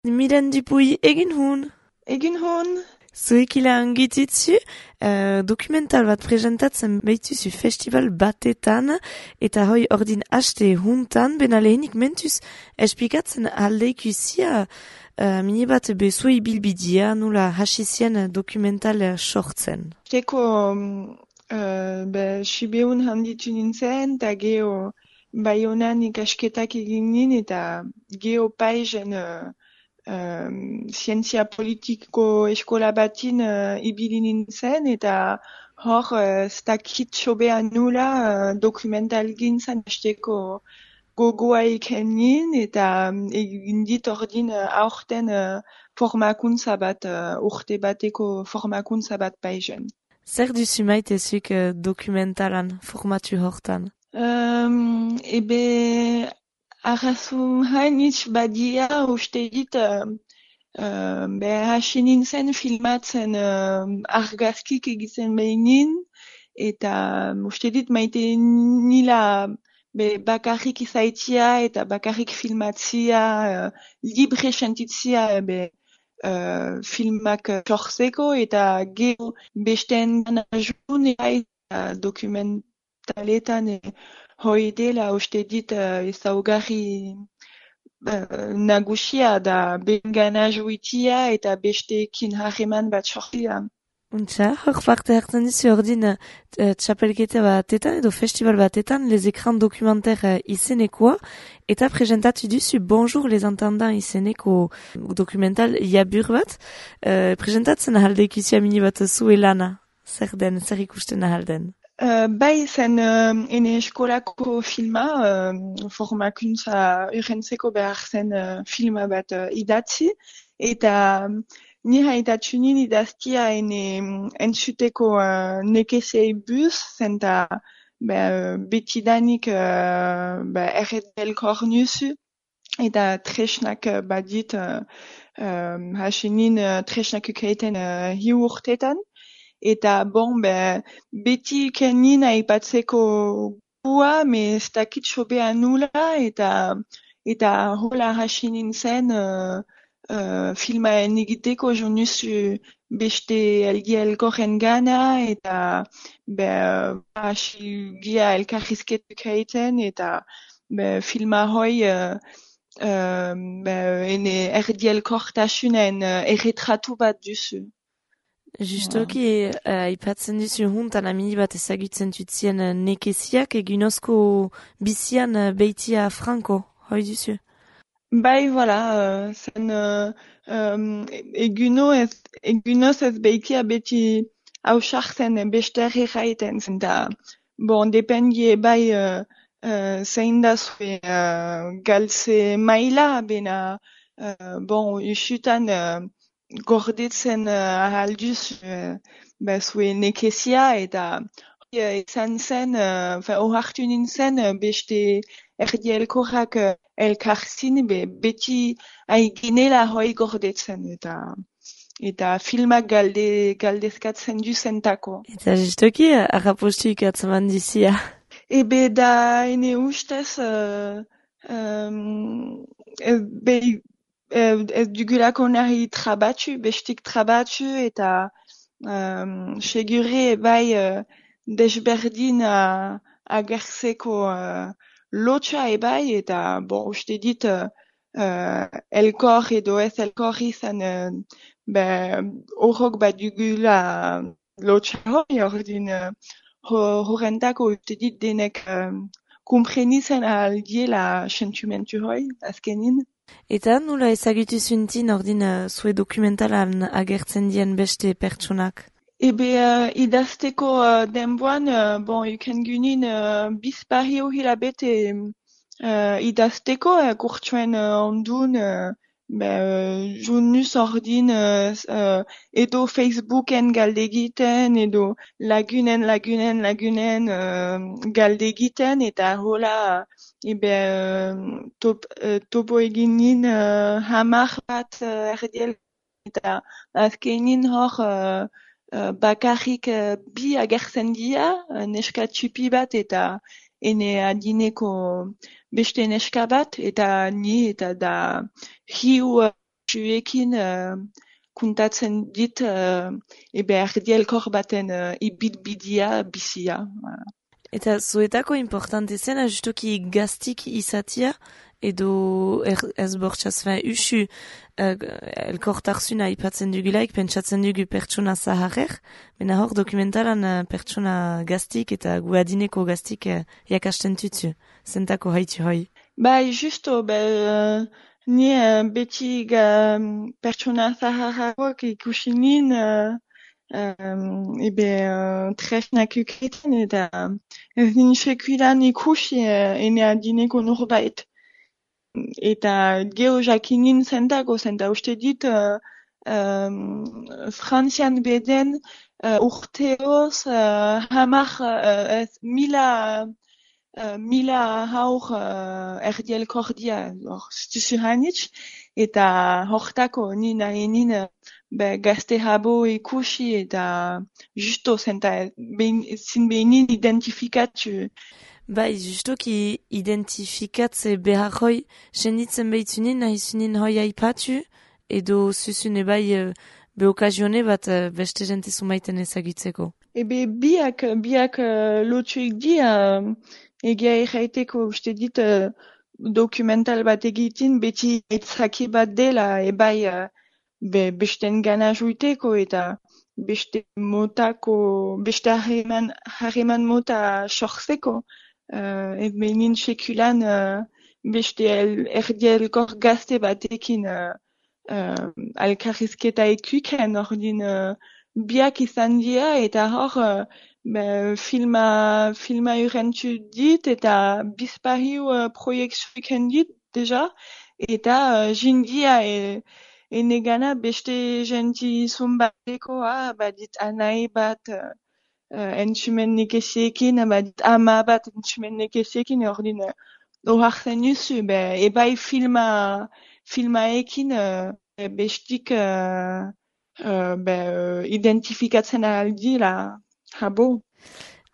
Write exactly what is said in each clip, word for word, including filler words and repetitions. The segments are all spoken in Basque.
Mylène Dupuy, egin hun. Egin hon. Zuek ila angititzu, uh, dokumental bat presentatzen behituzu festival batetan, eta hoi ordin haste huntan, bena lehenik mentuz espikatzen aldeikuzia uh, mini bat bezuei bilbidia, nula hasizien dokumental sortzen. Teko, uh, be, sibeun handitu nintzen, eta geho Baionan ikasketak egin nin, eta geho paizen uh, um, zientzia politiko eskola batin uh, ibili nintzen, eta hor uh, stakit sobea nula uh, dokumental gintzan hasteko gogoa iken nin, eta um, egin dit ordin uh, aurten uh, formakuntza bat, uh, urte bateko formakuntza bat paizen. Zer duzu maitezuk uh, dokumentalan formatu hortan? Um, ebe arrazun hainitz badia uste dit uh, uh, be hasi nintzen filmatzen uh, argazkik egiten behinin, eta um, uste dit maite nila be bakarrik izaitia eta bakarrik filmatzia, uh, libre sentitzia be uh, filmak sortzeko, eta gero besten ajun eta dokumentaletan e, hoi dela uste dit uh, ezaugarri uh, nagusia da bengana juitia eta besteekin harreman bat sortzia. Untxa, hor parte hartzen dizu ordin uh, txapelketa batetan edo festival batetan les écrans documentaires uh, izenekoa, eta presentatu duzu Bonjour les entendants izeneko dokumental jabur bat, uh, presentatzen ahaldeikuzia mini bat zuelana, zer den, zer ikusten ahalden. Uh, bai zen uh, ene eskolako filma, uh, formakuntza urrentzeko behar zen uh, filma bat uh, idatzi, eta um, ni haitatu nin idaztia ene um, entzuteko uh, nekesei buz, zenta uh, betidanik uh, erredel kornuzu, eta tresnak uh, badit uh, um, hasi nin uh, tresnak ukaiten uh, hiu urtetan. Eta bon, be, beti kenin aipatzeko gua, me ez dakit sobea nula, eta eta hola hasi nintzen uh, uh, filmaen egiteko jonuzu beste elgi elkorren gana, eta be, hasi gia elkarrizketuk egiten, eta be, filma hoi uh, uh, be, ene erdi elkortasunen uh, erretratu bat duzu. Justoki, uh, ipatzen duzu huntan amini bat ezagutzen tutzien uh, nekeziak egunozko bizian uh, beitia franko, hoi duzu? Bai, voilà, uh, zen uh, um, eguno ez, egunoz ez beitia beti hausartzen besterri raiten, zen da, bon, dependie bai uh, uh, zein da zue uh, galtze maila, bena, uh, bon, usutan uh, gordetzen uh, ahalduz uh, ba, zue nekezia, eta uh, izan zen, uh, ohartu nintzen uh, beste erdi elkorrak uh, elkarzin, be, beti aiginela hoi gordetzen, eta eta filmak galde, galdezkatzen duzentako. Eta justoki, arrapostu ikatzaman dizia. Ebe da ene ustez, uh, um, ez, be, ez dugulako nahi trabatu, bestik trabatu, eta um, segure bai uh, desberdin uh, agertzeko uh, lotxa ebai, eta bon, uste dit uh, uh, elkor edo ez elkor izan uh, horrok bat dugula lotxa hori, ordin uh, horrentako uste dit denek um, kumprenitzen aldiela sentimentu hori, azkenin. Eta nula ezagutu zuntin ordin uh, zue dokumentalan agertzen dien beste pertsonak? Ebe uh, idazteko uh, denboan, uh, bon, uken gunin uh, bizpario hilabete uh, idazteko, uh, kurtsuen uh, ondun, uh, uh, junus ordin uh, uh, edo Facebooken galdegiten, edo lagunen, lagunen, lagunen uh, galdegiten, eta hola, ebe uh, top, uh, topo eginin uh, hamar bat uh, erdiel, eta azkenin hor uh, Uh, bakarrik uh, bi agertzen dira, uh, neska txupi bat eta ene adineko beste neska bat, eta ni eta da hiu uh, bertsuekin uh, kuntatzen dit uh, ebe erdielkor baten uh, ibitbidia bizia. Eta zuetako importante zena justoki gaztik izatia, edo er, ez bortxaz fin usu uh, elkortarsuna ipatzen dugulaik, pentsatzen dugu pertsona zaharrer, mena hor dokumentalan uh, pertsona gaztik eta guadineko gaztik uh, jakasten tutu, zentako haitu hoi. Bai, justo, be, uh, ni uh, beti ga, pertsona zaharragoak ikusi nin, uh, Um, ebe uh, tresnak ukreten eta ez nin sekulan ikusi uh, ene adineko norbait. Eta geho jakinin zentako, zenta uste dit uh, um, frantzian beden uh, urteoz uh, hamar uh, ez mila uh, mila haur uh, erdielkordia hor stuzu hanitz eta hortako ni nahi nin be gazte habo ikusi eta justo zenta behin, zin behinin identifikatu. Bai, justoki identifikatze behar hoi, senditzen behitzunin, nahi zunin hoi aipatu, edo zuzune bai uh, be okazione bat uh, beste jente zumaiten ezagutzeko. Ebe biak, biak uh, lotuik di, uh, egia erraiteko uste dit uh, dokumental bat egitin, beti etzaki bat dela, ebai uh, be, besten gana juiteko eta beste motako, beste harreman, harreman mota sortzeko. Uh, et benin sekulan uh, beste el, erdielkor gazte batekin uh, uh, alkarrizketa ekuken ordin uh, biak izan dira eta hor uh, be, filma, filma urentu dit eta bizpariu uh, proiektuiken dit deja eta uh, jindia e, ene gana beste genti zumbateko ah, badit anai bat uh, Uh, entzumen nekeziekin, badit ama bat entzumen nekeziekin, ordin uh, ohartzen duzu, be, ebai filma, filmaekin uh, bestik uh, uh, be, uh, identifikatzen aldila, habo.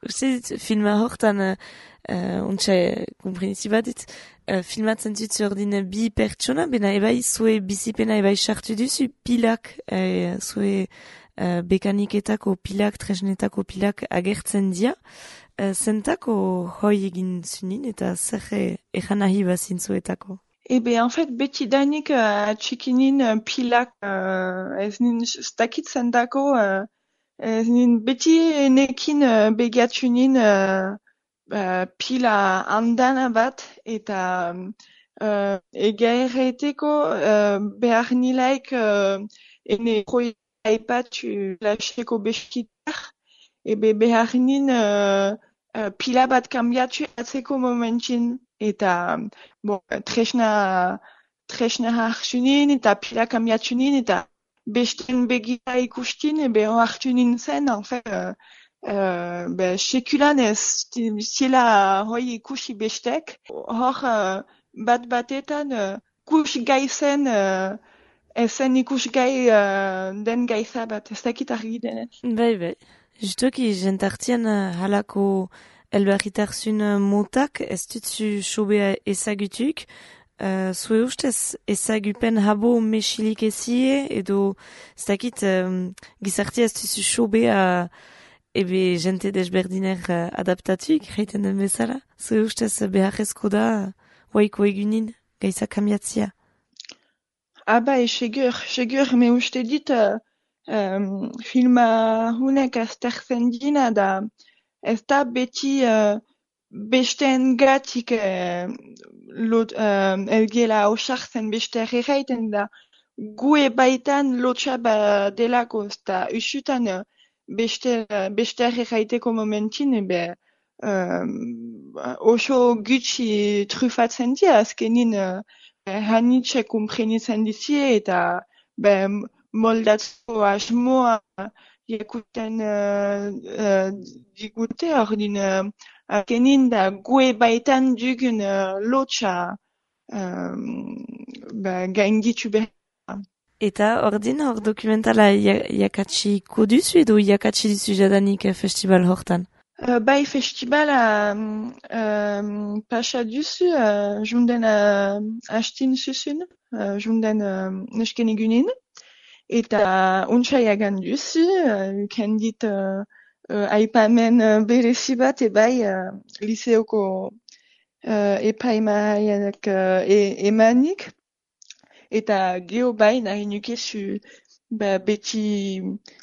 Uste dit, filma hortan, uh, uh, ontsa komprenizi bat dit, uh, filmatzen dut ordin bi pertsona, bena ebai zue bizipena ebai sartu duzu pilak, uh, zue Uh, bekaniketako pilak, tresnetako pilak agertzen dia, uh, zentako hoi egin zunin eta zer egan nahi bazintzuetako? Ebe, en fait, beti danik uh, txikinin uh, pilak, uh, ez nin stakit zentako, uh, ez nin beti nekin uh, begiatzunin uh, uh, pila andana bat eta uh, ega erraiteko uh, behar nilaik uh, ene proiektu aipatu laseko beskitar, ebe behar nin uh, uh, pila bat kambiatu atzeko momentin, eta bon, tresna, tresna hartzunin, eta pila kambiatunin, eta besten begira ikustin, ebe hartunin zen, en fait, uh, uh, be, sekulan ez zila hoi ikusi bestek, hor uh, bat batetan uh, kus gaizen uh, ezen ikusgai uh, den gaiza bat, ez dakit argi denez. Bai, bai. Justoki, jentartian uh, halako elbarritarzun uh, motak, ez dutzu sobea ezagutuk, uh, zue ustez ezagupen habo mesilik ezie, edo ez dakit um, gizartia ez dutzu sobea ebe jente desberdiner uh, adaptatuk, reiten den bezala. Zue ustez beharrezko da, waiko egunin, gaiza kamiatzia. Ah bai, segur, segur, me uste dit uh, um, filma hunek aztertzen dina da ez da beti uh, besten gatik uh, lot, uh, elgela osartzen beste erraiten da gue baitan lotxa ba delako ez da usutan uh, beste, uh, beste erraiteko momentin ebe um, oso gutxi trufatzen dira azkenin uh, hanitxe komprenitzen dizie eta be, moldatzeko asmoa jakuten uh, uh, digute ordin uh, azkenin da gue baitan dugun uh, lotxa um, gainditu behar. Eta ordin hor dokumentala jakatsi koduzu edo jakatsi dizu jadanik festival hortan? Uh, bai festibala um, pasa duzu uh, junden uh, hastin susun, uh, junden uh, neusken egunin, eta ontsaiagan duzu, uh, ken dit uh, uh, aipamen uh, berezi bat ebai uh, liseoko uh, epaimahaiak uh, e, emanik, eta geho bai nahi nuke su ba, beti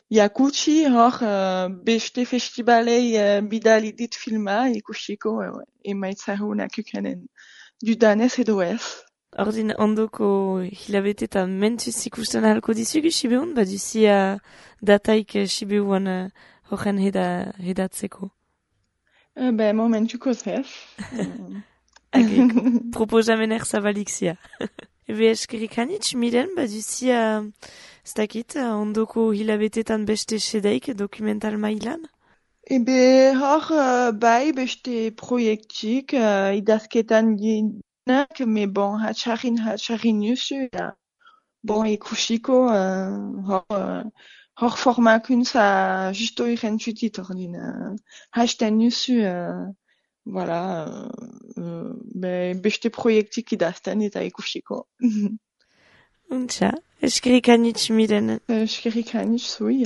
jakutsi hor uh, beste festivalei uh, bidali dit filma ikusiko uh, emaitza honak ukanen dudanez edo ez. Ordin ondoko hilabete eta mentuz ikusten ahalko dizugu Sibeun, baduzi uh, dataik uh, Sibeuan uh, horren heda, hedatzeko. Uh, ba, momentuko zef. Agrik, proposamener zabalik zia. Ebe eskerik hanitz, miren, baduzi uh, ez dakit, uh, ondoko hilabetetan beste sedeik dokumental mailan? Ebe hor uh, bai beste proiektik uh, idazketan dinak, me bon hatxarrin hatxarrin nusu, ja. Bon ikusiko uh, hor, uh, hor formakuntza justo irentzutit ordin uh, hasten nusu, uh, voilà, uh, uh, be, beste proiektik idazten eta ikusiko. Untxa, eskerik hanitz, miren. Eskerik hanitz, zui.